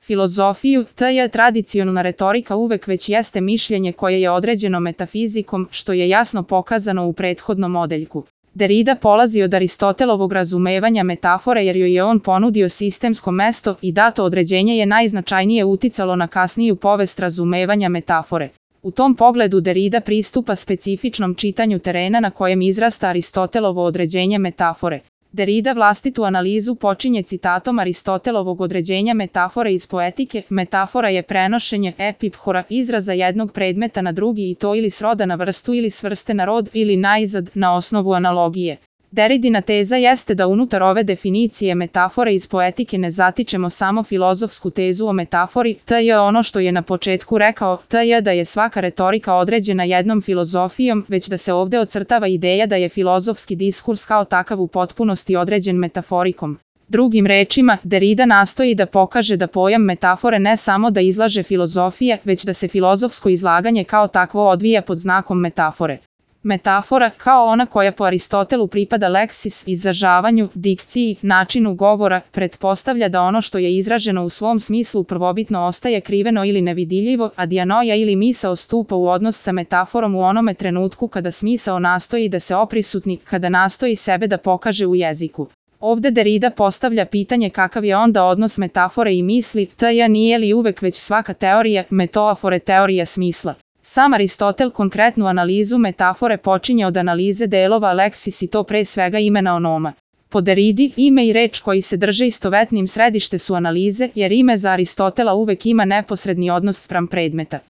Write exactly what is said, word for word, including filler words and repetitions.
filozofiju, tj. tradicionalna retorika uvek već jeste mišljenje koje je određeno metafizikom, što je jasno pokazano u prethodnom odeljku. Derrida polazi od Aristotelovog razumevanja metafore jer joj je on ponudio sistemsko mesto i dato određenje je najznačajnije uticalo na kasniju povest razumevanja metafore. U tom pogledu Derrida pristupa specifičnom čitanju terena na kojem izrasta Aristotelovo određenje metafore. Derrida vlastitu analizu počinje citatom Aristotelovog određenja metafore iz poetike. Metafora je prenošenje epiphora izraza jednog predmeta na drugi i to ili s roda na vrstu ili s vrste na rod ili najzad na osnovu analogije. Derridina teza jeste da unutar ove definicije metafore iz poetike ne zatičemo samo filozofsku tezu o metafori, to je ono što je na početku rekao, to je da je svaka retorika određena jednom filozofijom, već da se ovde ocrtava ideja da je filozofski diskurs kao takav u potpunosti određen metaforikom. Drugim rečima, Derrida nastoji da pokaže da pojam metafore ne samo da izlaže filozofije, već da se filozofsko izlaganje kao takvo odvija pod znakom metafore. Metafora, kao ona koja po Aristotelu pripada leksis, izražavanju, dikciji, načinu govora, pretpostavlja da ono što je izraženo u svom smislu prvobitno ostaje kriveno ili nevidljivo, a dijanoja ili misao stupa u odnos sa metaforom u onome trenutku kada smisao nastoji da se oprisutni, kada nastoji sebe da pokaže u jeziku. Ovde Derrida postavlja pitanje kakav je onda odnos metafore i misli, tj. nije li uvek već svaka teorija metaofore teorija smisla. Sam Aristotel konkretnu analizu metafore počinje od analize delova leksis i to pre svega imena onoma. Po Derridi, ime i reč koji se drže istovetnim središte su analize, jer ime za Aristotela uvek ima neposredni odnos spram predmeta.